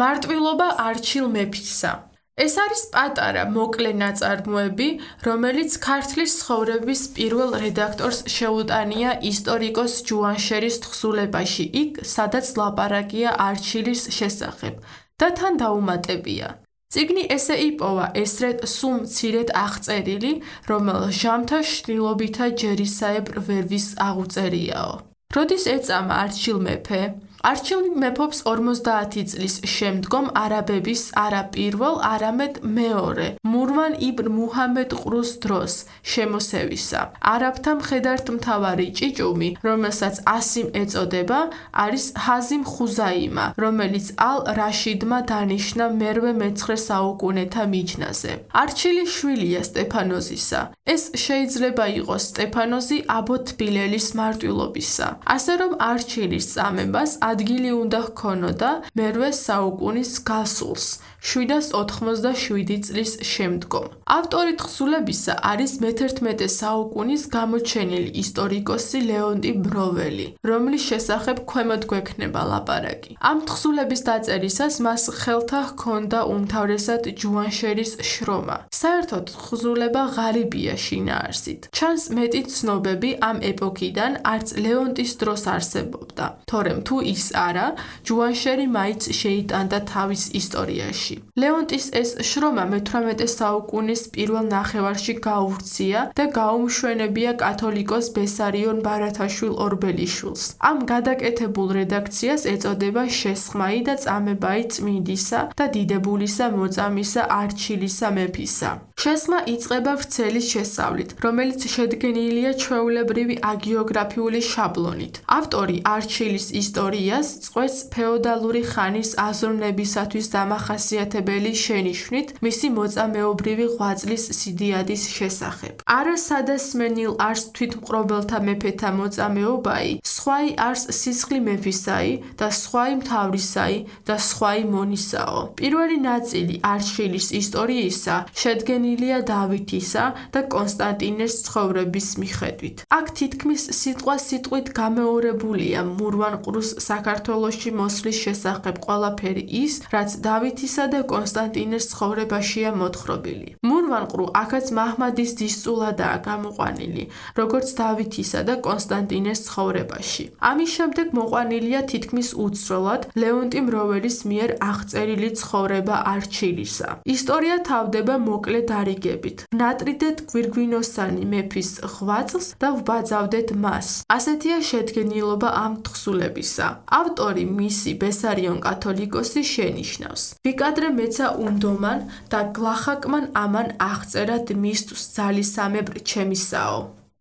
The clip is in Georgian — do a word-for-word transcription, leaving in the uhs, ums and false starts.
მარტვილობა არჩილ მეფისა. ეს არის პატარა, მოკლე ნაწარმოები, რომელიც ქართლის ცხოვრების პირველ რედაქტორს შეუტანია ისტორიკოს ჯუანშერის თხზულებაში იქ, სადაც ლაპარაკია არჩილის შესახებ და თან დაუმატებია. წიგნი ესე იპოვა ესრეთ სულ მცირედ აღწერილი, რომელ ჟამთა შრილობითა ჯერისაებრ ვერ ვის აღუწერიაო. როდის ეწამა არჩილ მეფე? არჩილ მეფობს ორმოცდაათი წლის შემდგომ არაბების არა პირველ, არამედ მეორე, მურვან იბნ მუჰამედ ყრუს დროს შემოსევისა. არაბთა მხედართმთავარი ჭიჭუმი, რომელსაც ასიმ ეწოდება, არის ჰაზიმ ხუზაიმა, რომელიც ალ-რაშიდმა დანიშნა მერვე მეცხრე საუკუნეთა მიჯნაზე. არჩილი შვილია სტეფანოზისა. ეს შეიძლება იყოს სტეფანოზი აბო თბილელის მარტვილობისა. ასე რომ არჩილის წამებას ადგილი უნდა ჰქონოდა მერვე საუკუნის გასულს, შვიდას ოთხმოცდაშვიდი წლის შემდგომ. ავტორი თხზულებისა არის მეთერთმეტე საუკუნის გამოჩენილი ისტორიკოსი ლეონტი ბროველი, რომლის შესახებ ქვემოთ გვექნება ლაპარაკი. ამ თხზულების დაწერისას მას ხელთა ჰქონდა უმთავრესად ჯუანშერის შრომა. საერთოდ თხზულება ღარიბია შინაარსით. ჩანს მეტი ცნობები ამ ეპოქიდან არც ლეონტის დროს არსებობდა, თორემ თუ ის არა, ჯუანშერი მაინც შეიტანდა თავის ისტორიაში. ლეონტის ეს შრომა მეთვრამეტე საუკუნის პირველ ნახევარში გაუვრცია და გაუმშვენებია კათოლიკოს ბესარიონ ბარათაშვილ ორბელიშვილს. ამ გადაკეთებულ რედაქციას ეწოდება შესხმაი და წამებაი წმინდისა და დიდებულისა მოწამისა არჩილისა მეფისა. შესხმა იწყება ვრცელის შესწავლით, რომელიც შედგენილია ჩვეულებრივი აგიოგრაფიული შაბლონით. ავტორი არჩილის ისტორიას წყვეტს ფეოდალური ხანის აზროვნებისათვის დამახასიათებელი შენიშვნით მისი მოწამეობრივი ღვაწლის სიდიადის შესახებ. არა სადასმენილ არს თვითმყრობელთა მეფეთა მოწამეობაი, სხვაი არს სისხლი მეფისაი და სხვაი მთავრისაი და სხვაი მონისაო. პირველი ნაწილი არჩილის ისტორიისა შედგენილია დავითისა და კონსტანტინეს ცხოვრების მიხედვით. აქ თითქმის სიტყვა სიტყვით გამეორებულია მურვან ყრუს საქართველოში მოსვლის შესახებ ყველაფერი ის, რაც დავითისა და კონსტანტინეს ცხოვრებაშია მოთხრობილი. მურვან ყრუ აქაც მაჰმადის დისწულადაა გამოყვანილი, როგორც დავითისა და კონსტანტინეს ცხოვრებაში. ამის შემდეგ მოყვანილია თითქმის უცვლელად ლეონტი მროველის მიერ აღწერილი ცხოვრება არჩილისა. ისტორია თავდება მოკლე დარიგებით. ვნატრიდეთ გვირგვინოსანი მეფის ღვაწლს და ვბაძავდეთ მას. ასეთია შედგენილობა ამ თხზულებისა. ავტორი მისი ბესარიონ კათოლიკოსი შენიშნავს. ვიკადრე მეცა უნდომან და გლახაკმან ამან აღწერად მისთვის ძალისამებრ ჩემისაო.